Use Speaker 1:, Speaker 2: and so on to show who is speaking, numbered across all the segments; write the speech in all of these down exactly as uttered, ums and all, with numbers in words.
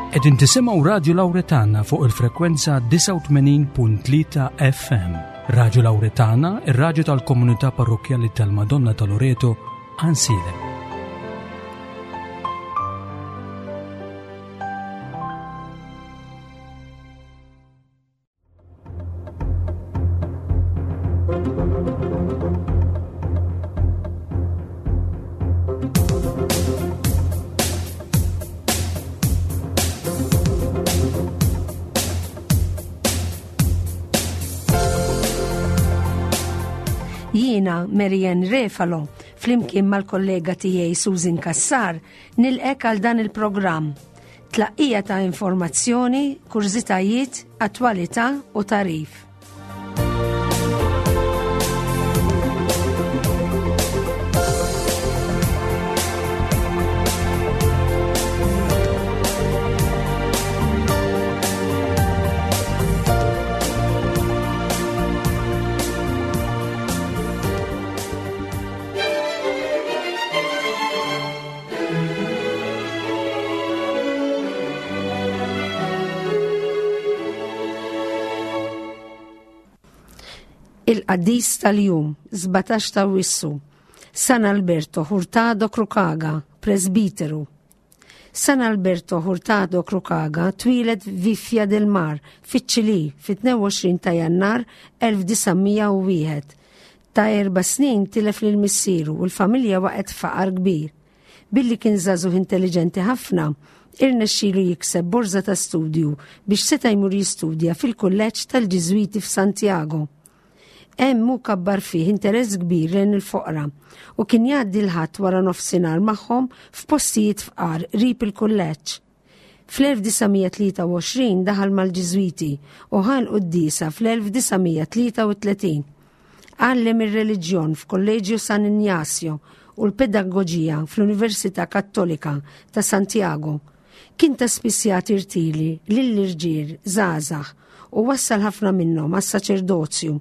Speaker 1: Qegħdin tisimgħu Radio Lauretana fuq il-frekwenza disgħa u tmenin punt tlieta F M. Radio Lauretana, ir-raġu tal-komunità parrokjali tal-Madonna ta' Loreto, Għajnsielem.
Speaker 2: Jiena Marianne Refalo, flimkien mal-kollega tiegħi Susan Kassar, nilqgħek għal dan il-programm. Tlaqqija ta' informazzjoni, kurżitajiet, attwalità u tagħrif. Il-qaddis tal-jum, sbatax ta' Awwissu, San Alberto Hurtado Cruchaga, presbiteru. San Alberto Hurtado Cruchaga twieled Viña del Mar, fiċ-Ċilì, fit-tnejn u għoxrin ta' Jannar elf disa' mija u wieħed. Ta' erba' snin tilef lil missieru u l-familja waqgħet faqar kbir. Billi kien żagħżugħ intelligenti ħafna, irnexxielu jikseb borza ta' studju biex seta' jmur jistudja fil-kulleġġ tal-Ġiżwiti f'Santiago. Hemm hu kabbar fih interess kbir lejn il-foqra u kien jgħaddi l-Ħadd wara nofsinhar magħhom f'postijiet fqar qrib il-kulleġġ. Fl-elf disa' mija tlieta u għoxrin daħal mal-Ġiżwiti u ħa l-quddiesa fl-elf disa' mija tlieta u tletin. Għallem ir-reliġjon f'Kolleġju San Ignacio u l-Pedagoġija fl-Università Kattolika ta' Santiago. Kien ta' spiss jagħti rtili lill-irġiel żgħażagħ u wassal ħafna minnhom għas-saċerdozju.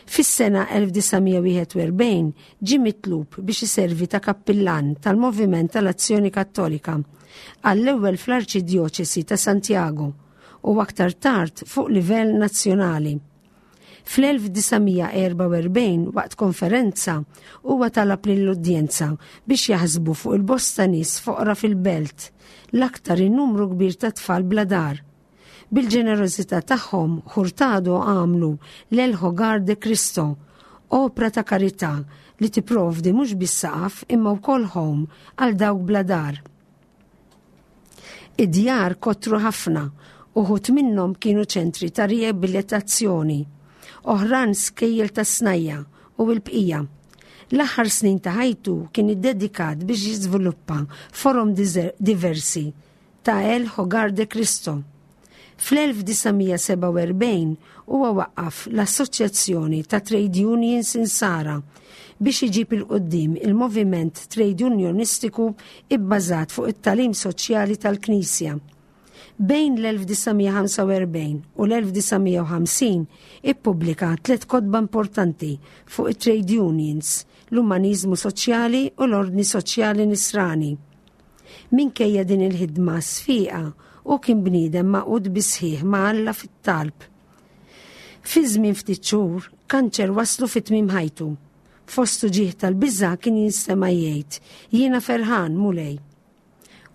Speaker 2: Fis-sena elf disa' mija wieħed u erbgħin ġie mitlub biex iservi ta' kappillan tal-Moviment tal-Azzjoni Kattolika għall-ewwel fl-Arċidjoċesi ta' Santiago u aktar tard fuq livell nazzjonali. Fl-elf disa' mija erbgħa u erbgħin, waqt konferenza, huwa talab lill-udjenza biex jaħsbu fuq il-bosta nies foqra fil-belt, l-aktar in-numru kbir ta' tfal bla dar. Bil-ġenerożità tagħhom, Hurtado għamlu l-El Hogar de Cristo, opra ta' karità li tipprovdi mhux biss saqaf imma wkoll home għal dawk bla dar. Id-djar kotru ħafna, uħud minnhom kienu ċentri ta' riabilitazzjoni, oħrajn skejjel ta' snajja' u l-bqija. L-aħħar snin ta' ħajtu kien iddedikat biex jiżviluppa forom diversi ta' El Hogar de Cristo. Fl-elf disa' mija sebgħa u erbgħin huwa waqqaf l-Assoċjazzjoni ta' Trade Unions Insara biex iġib 'il quddiem il-moviment trade unionistiku ibbażat fuq it-tagħlim soċjali tal-Knisja. Bejn l-elf disa' mija ħamsa u erbgħin u l-elf disa' mija u ħamsin ippubblika tliet kotba importanti fuq it-trade unions, l-umanizmu soċjali u l-ordni soċjali nisrani. Minkejja din il-ħidma sfiqa, u kien bniedem magħqud bis-sħiħ ma' Alla fit-talb. Fi żmien ftit xhur, kanċer waslu fi tmiem ħajtu. Fost uġigħ tal-biża' kien jinstema' jgħid: "Jiena ferħan, Mulej."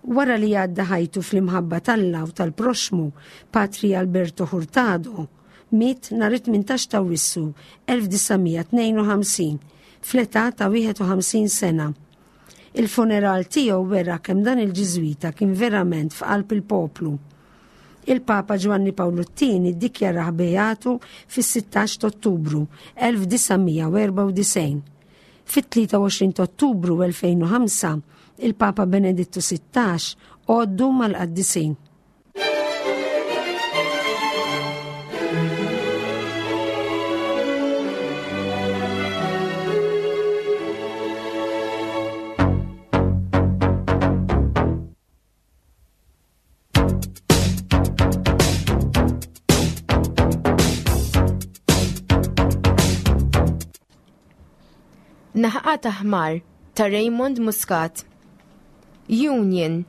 Speaker 2: Wara li għadda ħajtu fl-imħabba t'Alla u tal-proxmu, Patri Alberto Hurtado miet nhar it-tmintax ta' Awwissu elf disa' mija tnejn u ħamsin fl-età ta' wieħed u ħamsin sena. Il-funeral tiegħu wera kemm dan il-Ġiżwita kien verament f'qalb il-poplu. Il-Papa Ġwanni Pawlu t-Tieni ddikjarah beatu fis-sittax ta' Ottubru elf disa' mija erbgħa u disgħin. Fit-tlieta u għoxrin ta' Ottubru elfejn u ħamsa il-Papa Benedittu sittax għoddu mal-qaddisin.
Speaker 3: Naħqa ta' ħmar ta' Raymond Muscat. Union.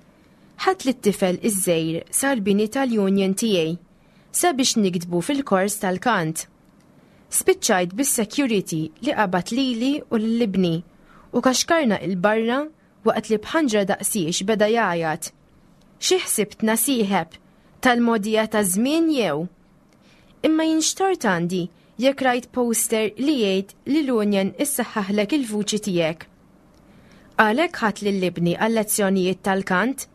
Speaker 3: Ħadt lit-tifel iż-żgħir sal-bini tal-union tiegħi sabiex niktbu fil-kors tal-kant. Spiċċajt bis-security li qabad lili u lil ibni u kaxkarna 'l barra waqt li b'ħanġra daqsiex beda jgħajjat. Xi ħsibtna sieħeb tal-mogħdija ta' żmien jew? Imma jien x'tort għandi jekk rajt poster li jgħid li l-union issaħħaħlek il-vuċi tiegħek. Għalhekk ħadt lil ibni għal-lezzjonijiet tal-kant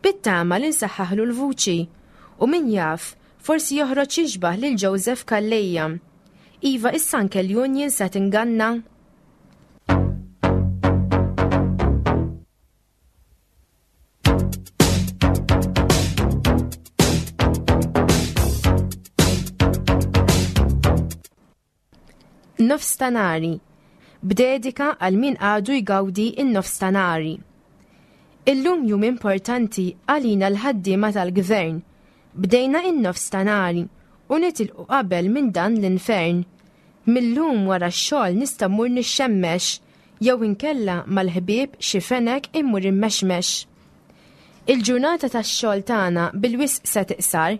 Speaker 3: bit-tama li nsaħħaħlu l-vuċi u min jaf forsi joħroġ jixbah lil Joseph Calleja. Iva issa anke l-union se tinganna. Nofstanari, b'dedika għal min għadu jgawdi in-nofstanari. Illum jum importanti għalina l-ħaddiema tal-gvern. Bdejna in-nofstanari u nitilqu qabel minn dan l-infern. Millum wara x-xogħol nista' mmur nixxemmex jew inkella mal-ħbieb xi fenek immur immexmex. Il-ġurnata tax-xogħol tagħna bil-wisq se tiqsar,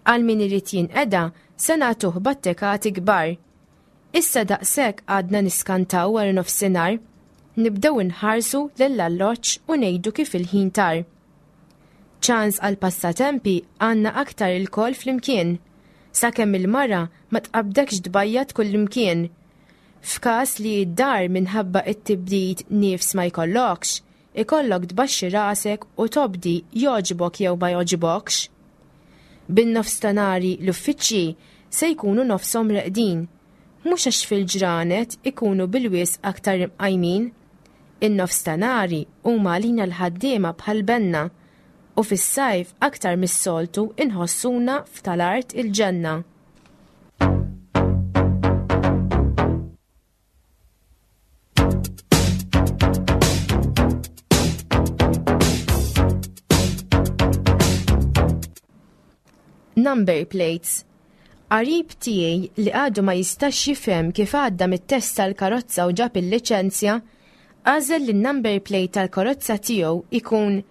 Speaker 3: għal min irid jinqeda se nagħtuh battekati kbar. Issa daqshekk għadna niskantaw wara nofsinhar, nibdew inħarsu lill-alloġġ u ngħidu kif il-ħin tar. Ċans għal passatempi għandna aktar ilkoll flimkien, sakemm il-mara ma tqabdekx tbajjat kullimkien. F'każ li d-dar minħabba it-tibdid nifs ma jkollokx, ikollok tbaxxi rasek u tobdi jogħġbok jew ma jogħġbokx. Bin-nofstanari l-uffiċċji se jkunu nofshom reqdin, mhux għax fil-ġranet ikunu bil-wisq aktar imqajmin. In-nofstanari huma għalina l-ħaddiema bħal benna u fis-sajf aktar mis-soltu inħossuna f'tal-art il-ġenna. Number plates. Qarib tiegħi li għadu ma jistax jifhem kif għadda mit-test tal-karozza u ġab il-liċenzja, għażel li n-number plate tal-karozza tiegħu ikun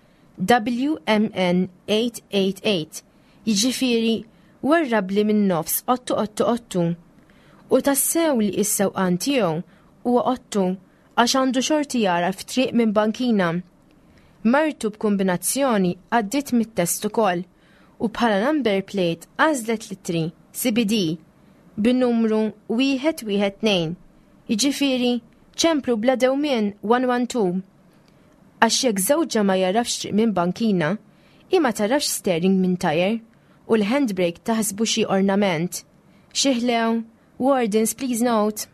Speaker 3: W M N eight eight eight, jiġifieri warrabli minn nofs ottu ottu ottu. U tassew li s-sewqan tiegħu huwa ottu għax għandu xorti jara f'triq minn bankina. Martu b'kombinazzjoni għaddiet mit-test ukoll u bħala number plate għażlet l-ittri C B D bin-numru wieħed wieħed tnejn, jiġifieri ċemplu bla dewmien one one two. Għax jekk żewġha ma jarafx triq minn bankina, hi ma tarafx steering minn tajer u l-handbrake taħsbu xi ornament. Xi ħlew, wardens please note.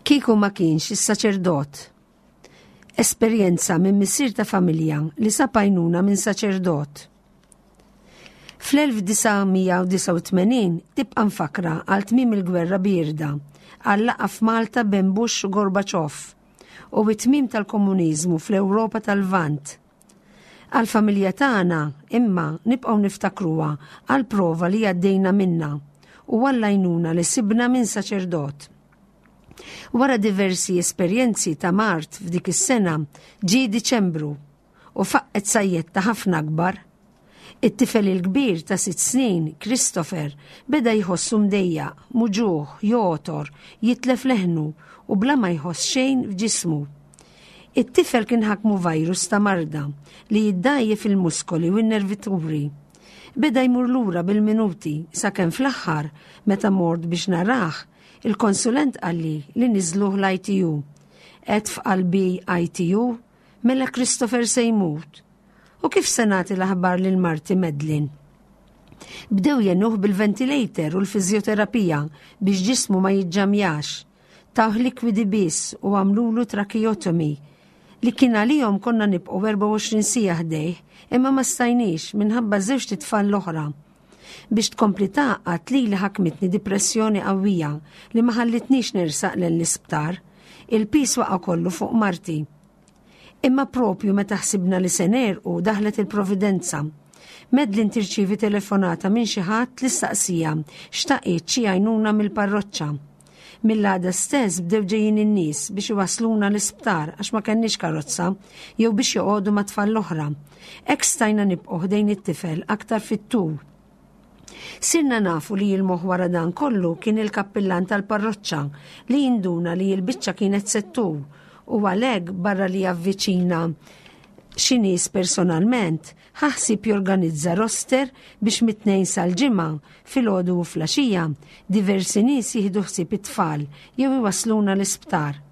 Speaker 2: Kieku ma kienx is-saċerdot. Esperjenza minn missier ta' familja li sab għajnuna minn saċerdot. Fl-elf disa' mija u disgħa u tmenin tibqa' mfakra għal tmiem il-gwerra bierda, għal laqgħa f'Malta bejn Bush u Gorbaċov u it-tmiem tal-komuniżmu fl-Ewropa tal-Lvant. Għal-familja tagħna imma nibqgħu niftakruha għal prova li għaddejna minna u għall-għajnuna li sibna minn saċerdot. Wara diversi esperjenzi ta' mard f'dik is-sena ġie Diċembru u faqqet sajjetta ħafna akbar. It-tifel il-kbir ta' sitt snin, Christopher, beda jħossu mdejjaq, muġuħ, jotor, jitlef leħnu u bla ma jħoss xejn f'ġismu. It-tifel kien ħakmu virus ta' marda li jiddajjef il-muskoli u n-nervituri. Beda jmur lura bil-minuti sakemm fl-aħħar meta mort biex narah, il-konsulent qalli li niżluh l-I T U. Għedt f'qalbi I T U, mela Christopher se jmut. U kif se nagħti l-aħbar lil marti Madeline? Bdew jenuh bil-ventilator u l-fiżjoterapija biex ġismu ma jiġġamjax. Tawh likwidi biss u għamlulu tracheotomy li kien għalihom konna nibqgħu erbgħa u għoxrin siegħa ħdejh, imma ma stajniex minħabba żewġt itfal l-oħra. Biex tkompli tgħaqqad lili ħakmitni dipressjoni qawwija li ma ħallitnix nersaq lejn l-isptar. Il-piż waqa' kollu fuq marti. Imma propju meta ħsibna li se negħrqu daħlet il-providenza. Madeline tirċievi telefonata minn xi ħadd li staqsija xtaqit xi għajnuna mill-parroċċa. Mill-għada stess bdew ġejjin in-nies biex iwasluna l-isptar għax ma kenniex karozza jew biex joqogħdu ma' tfal l-oħra. Hekk stajna nibqgħu ħdejn it-tifel aktar fit-tul. Sirna nafu li l-moħħ wara dan kollu kien il-kappillan tal-parroċċa li jinduna li l-biċċa kienet settur u għalhekk barra li javviċina xi nies personalment, ħa ħsieb jorganizza roster biex mit-tnejn sal-ġimgħa filgħodu u filgħaxija diversi nies jieħdu ħsieb it-tfal jew iwasluna l-isptar.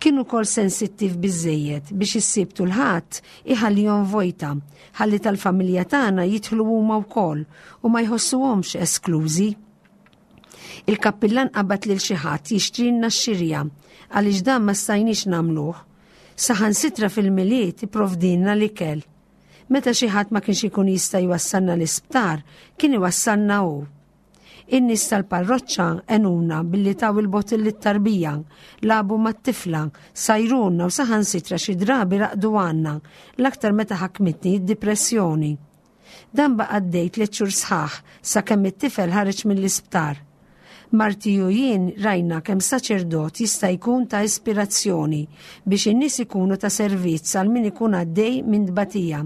Speaker 2: Kien ukoll sensittiv biżejjed biex is-Sibt u l-Ħadd iħallihom vojta, ħalli tal-familja tagħna jidħlu huma wkoll u ma jħossuhomx esklużi. Il-kappillan qabad lil xi ħadd jixtrilna x-xirja għaliex dan ma stajniex nagħmluh. Saħansitra fil-Milied ipprovdilna l-ikel. Meta xi ħadd ma kienx ikun jista' jwassalna l-isptar, kien iwassalna hu. In-nies tal-parroċċa għenuna billi taw il-bottle lit-tarbija, lagħbu mat-tifla, sajruna u saħansitra xi drabi raqdu għandna, l-aktar meta ħakmitni d-dipressjoni. Dan baqa' għaddej tliet xhur sħaħ sakemm it-tifel ħareġ mill-isptar. Marti u jien rajna kemm saċerdot jista' jkun ta' ispirazzjoni biex in-nies ikunu ta' servizz għal min ikun għaddej minn tbatija.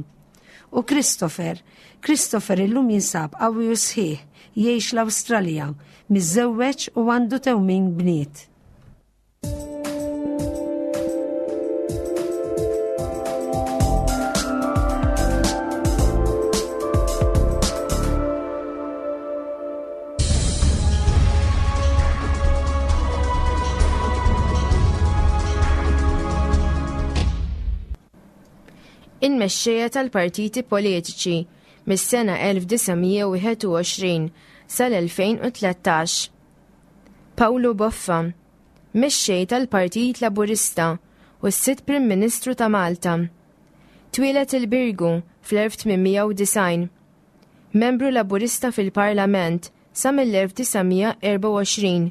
Speaker 2: U Christopher, Christopher illum jinsab qawwi u sħiħ, jgħix l-Awstralja, miżżewweġ u għandu tewmin bniet.
Speaker 3: Il-mexxejja tal-partiti politiċi mis-sena elf disa' mija u wieħed u għoxrin sal-elfejn u tlettax. Pawlu Boffa, mexxej tal-Partit Laburista u s-sitt Prim Ministru ta' Malta. Twieled il-Birgu fl-elf tmien mija u disgħin. Membru Laburista fil-Parlament sa mill-elf disa' mija erba' u għoxrin.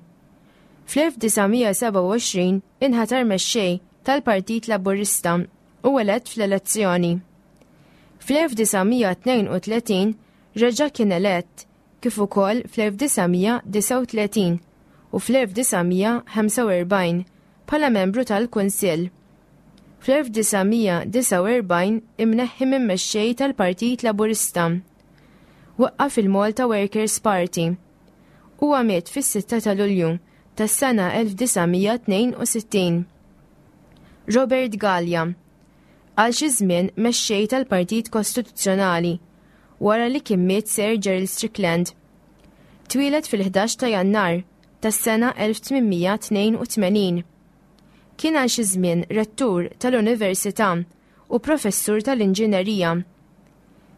Speaker 3: Fl-elf disa' mija seba' u għoxrin inħatar mexxej tal-Partit Laburista u elett fl-elezzjoni. Fl-elf disa' mija tnejn u tletin reġa' kien elett kif ukoll fl-elf disa' mija disa' u tletin u fl-elf disa' mija ħamsa u erbgħin bħala membru tal-Kunsill. Fl-elf disa' mija disa' u erbgħin imneħħi minn mexxej tal-Partit Laburista. Waqqaf il-Malta Workers' Party. Huwa miet fis-sitta ta' Lulju tas-sena elf disa' mija tnejn u sittin. Robert Galea, għal xi żmien mexxej tal-Partit Kostituzzjonali wara li kien miet Sir Gerald Strickland. Twieled fil-ħdax ta' Jannar tas-sena elf tmien mija tnejn u tmenin. Kien għal xi żmien rettur tal-Università u professur tal-Inġinerija.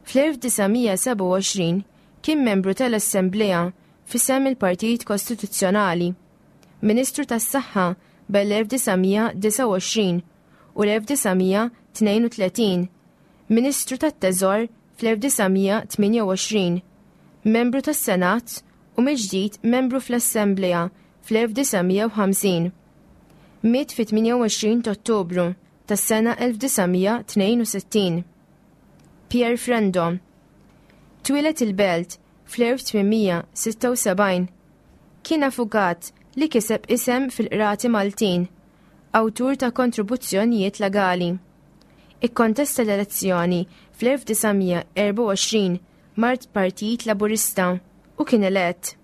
Speaker 3: Fl-elf disa' mija seba' u għoxrin kien membru tal-Assemblea f'isem il-Partit Kostituzzjonali, Ministru tas-Saħħa bel-elf disa' mija disa' u għoxrin u l-elf disa' mija tnejn u tletin, Ministru tat-Teżor fl-elf disa' mija tmienja u għoxrin, membru tas-Senat u mill-ġdid membru fl-Assemblea fl-elf disa' mija u ħamsin. Miet fit-tmienja u għoxrin ta' Ottubru tas-sena elf disa' mija tnejn u sittin. Pierre Frendo twieled il-Belt fl-elf tmien mija sitta u sebgħin. Kien avukat li kiseb isem fil-qrati Maltin, awtur ta' kontribuzzjonijiet legali. Ikkontesta l-elezzjoni fl-elf disa' mija erba' u għoxrin mart Partit Laburista u kien elett.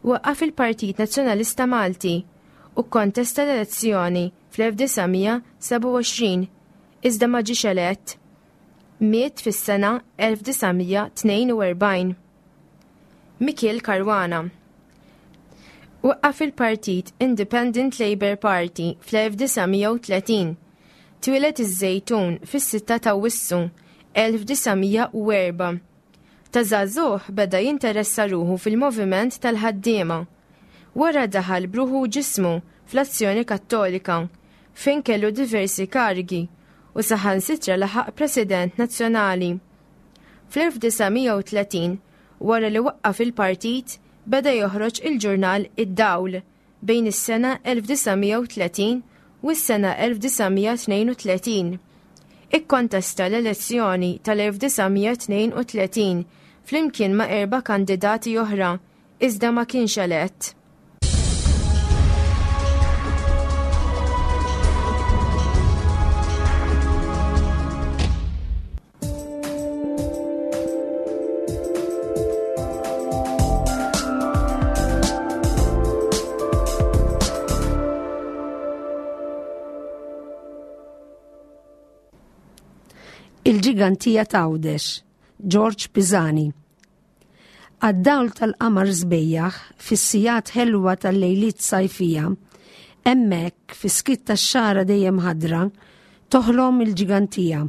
Speaker 3: Waqqaf il-Partit Nazzjonalista Malti u kkontesta l-elezzjoni fl-elf disa' mija seba' u għoxrin iżda ma ġiex elett. Miet fis-sena elf disa' mija tnejn u erbgħin. Mikiel Caruana waqqaf il-Partit Independent Labour Party fl-elf disa' mija u tletin. Twieled iż-Żejtun fis-sitta ta' Awwissu elf disa' mija u erba'. Ta' żagħżugħ beda jinteressa ruħu fil-moviment tal-ħaddiema. Wara daħal bruħu u ġismu fl-Azzjoni Kattolika, fejn kellu diversi karigi u saħansitra laħaq President Nazzjonali. Fl-elf disa' mija u tletin Wara li waqqaf il-partit, beda joħroġ il-ġurnal Id-Dawl bejn is-sena elf disa' mija u tletin u s-sena elf disa' mija tnejn u tletin. Ikkontesta l-elezzjoni tal-elf disa' mija tnejn u tletin flimkien ma' erba' kandidati oħra, iżda ma kienx elett.
Speaker 2: Il-ġigantija t'Għawdex, George Pisani. Għad-dawl tal-qamar sbejjaħ fis-sigħat ħelwa tal-lejliet sajfija, hemmhekk fis-skiet tax-xagħra dejjem ħadra, toħlom il-ġigantija.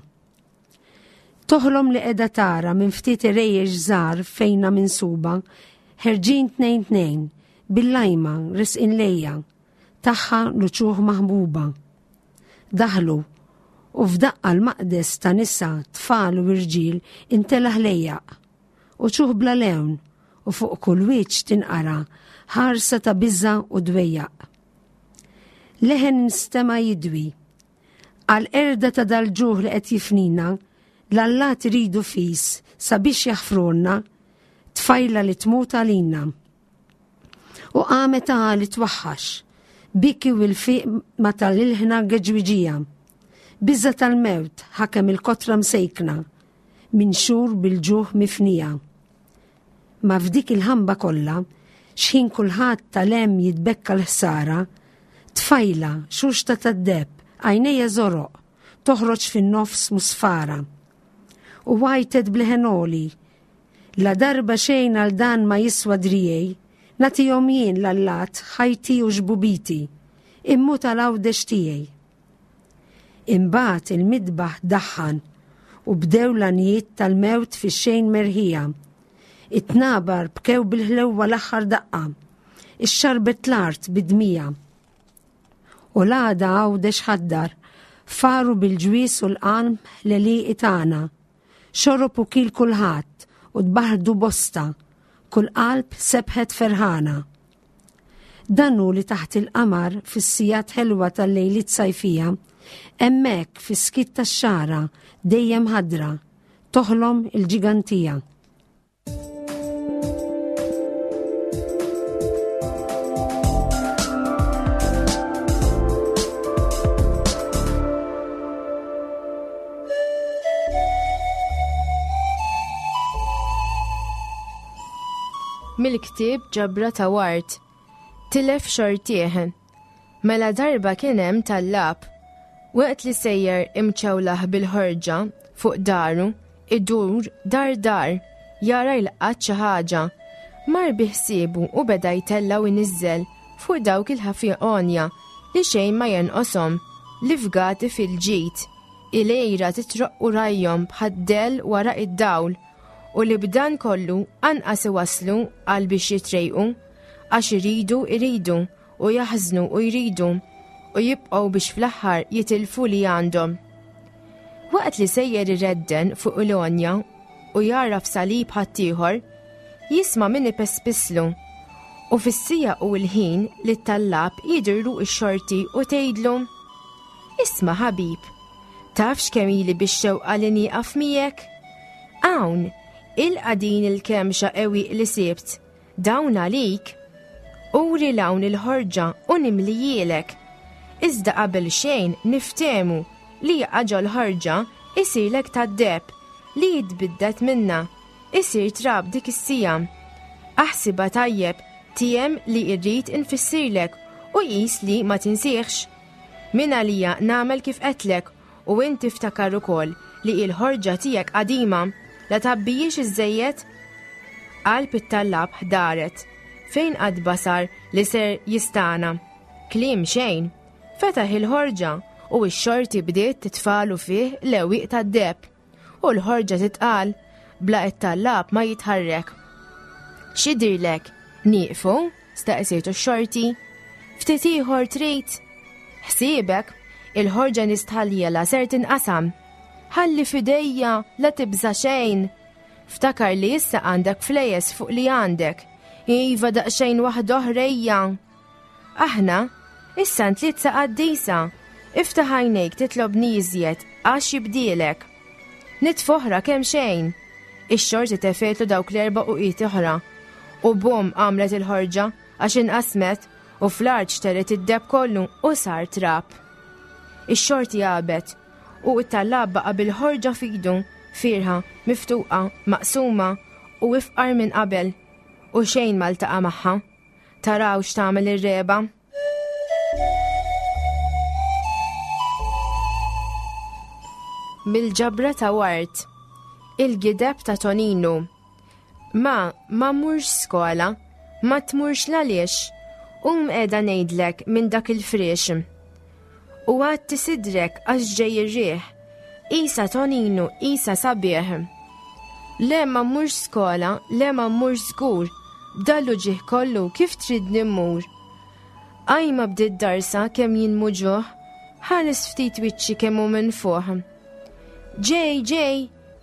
Speaker 2: Toħlom li qiegħda tara minn ftit irejjex żgħar fejna minsuba, ħerġin tnejn tnejn, bil-lajma risqin lejja, tagħha l-uċuħ maħbuba. Daħlu u f'daqqa l-maqdes ta' nisa, tfal u irġiel intela ħlejjaq, u ċuħ bla lewn, u fuq kull wiċċ tinqara ħarsa ta' biża' u dwejjaq. Leħen nstema' jidwi. Għal-qerda ta' dal-ġuħ li qed jifnina, l-allat iridu fis sabiex jaħfrulna, tfajla li tmut għalina. U qamet għali twaħħax, biki u l-fiq ma tal-ilħna geġwiġija. Biża tal-mewt ħakem il-kotra msejkna, minn xhur bil-ġuħ mifnija. Ma f'dik il-ħamba kollha, xħin kulħadd tal-hemm jitbekka l-ħsara, tfajla xuxta tad-deb, għajnejja żoroq, toħroġ fin-nofs musfara. U għajtet bleħenoli, la darba xejn għal dan ma jiswa drijej, nagħtihom jien l-allat ħajti u xbubiti, immu tal-Għawdex tiegħi. Imbagħad il-midbaħ daħħan u bdew l-għanijiet tal-mewt fix-xejn merħija. It-tnabar bkew bil-ħlewwa l-aħħar daqqa, ix-xarbet l-art bidmija. U l-għada Għawdex ħaddar, faru bil-ġwis u l-qalm l-għelieqi tagħna. Xorob u kil kulħadd u tbaħdu bosta, kull qalb sebħet ferħana. Dan hu li taħt il-qamar fis-sigħat ħelwa tal-lejliet sajfija, hemmhekk fis-skiet tax-xagħra dejjem ħadra, toħlom il-ġigantija.
Speaker 3: Mill-ktieb Ġabra ta' Ward, tilef xortieħ. Mela darba kien hemm tallab. Waqt li sejjer imċewlaħ bil-ħorġa fuq daru, idur dar dar, jara jilqat xi ħaġa. Mar biħsiebu u beda jtella' u jniżżel fuq dawk il-ħafiqonja li xejn ma jenqoshom, li fgati fil-ġid, il-għira titroq u rajhom bħad-dell wara id-dawl, u li b'dan kollu anqas iwasslu għal biex jitrejqu, għax iridu iridu u jaħżnu u jridu u jibqgħu biex fl-aħħar jitilfu li għandhom. Waqt li sejjer iredden fuq il-għonja u jaraf salib ħaddieħor, jisma' min ipespislu, u fis-sija u l-ħin li t-tallab jidirlu x-xorti u tgħidlu: Isma' ħabib, tafx kemm ili biex xewqa li nieqaf miegħek? Hawn, ilqa' din il-kemxa ewiq li sibt, dawn għalik. Uri l-hawn il-ħorġa u nimlijielek. Iżda qabel xejn niftehmu li jaqa' ġol-ħorġa isirlek tad-deheb li jitbiddet minna, isir trab dik is-sija. Aħsibha tajjeb tiem li rrid infissirlek u qis li ma tinsieħx. Min għalija nagħmel kif qedlek u inti ftakar ukoll li l-ħorġa tiegħek qadima, la tabbijiex iżżejjed. Qalb it-tallab ħdaret, fejn qatt basar li ser jistana. Kliem xejn, fetaħ il-ħorġa u x-xorti bdiet titfalu fih l-ewiq tad-deheb, u l-ħorġa titqal bla it-tallab ma jitħarrek. X'idirlek, nieqfu? Staqsietu x-xorti. Ftit ieħor trid? Ħsiebek, il-ħorġa nistħalliela ser tinqasam. Ħalli fidejja la tibża' xejn. Ftakar li issa għandek flejes fuq li għandek. Iva daqsxejn waħda oħra ejja. Aħna, issa ntliet qaddisa. Iftaħ għajnejk titlobni iżjed għax jibdielek. Nitfoħra kemm xejn. Ix-xorti tefetlu dawk l-erba' uqiet oħra. U bum għamlet il-ħorġa għax inqasmet u fl-art xteret id-deheb kollu u sar trab. Ix-xorti għabet u it-tallab baqa' bil-ħorġa f'idu, fiergħa, miftuqa, maqsuma u ifqar minn qabel u xejn ma ltaqa' magħha. Taraw x'tagħmel ir-regħba. Mill-ġabra ta' Ward, il-gideb ta' Toninu. Ma, ma mmurx skola, ma tmurx l-għaliex, um qiegħda ngħidlek minn dak il-friex. U għatti sidrek għax ġej ir-riħ, isa Toninu, isa sabiħ. Le ma mmurx skola, le ma mmurx żgur, b'dal-uġigħ kollu kif tridni mmur. Ajma bdiet darsa kemm jien muġugħ, ħares ftit wiċċi kemm hu minfuħ. Ġej, ġej,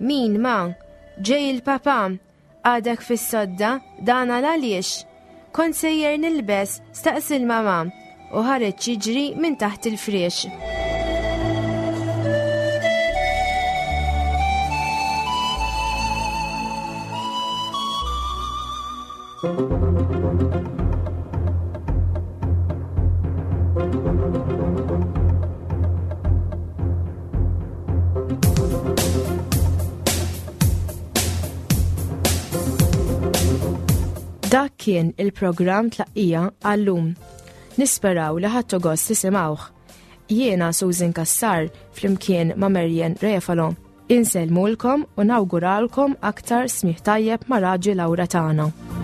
Speaker 3: min ma, ġej il-papa, għadek fis-sodda, dan għal għaliex. Kont sejjer nilbes, staqsi l-mama, u ħareġ jiġri minn taħt il-friex. Dak kien il-programm Tlaqqija għallum. Nisperaw li ħadtu gost tisimgħuh. Jiena Susan Kassar flimkien ma' Marian Refalo. Insellmulkom u nawguralkom aktar smigħ tajjeb ma' Raġi Lawra tagħna.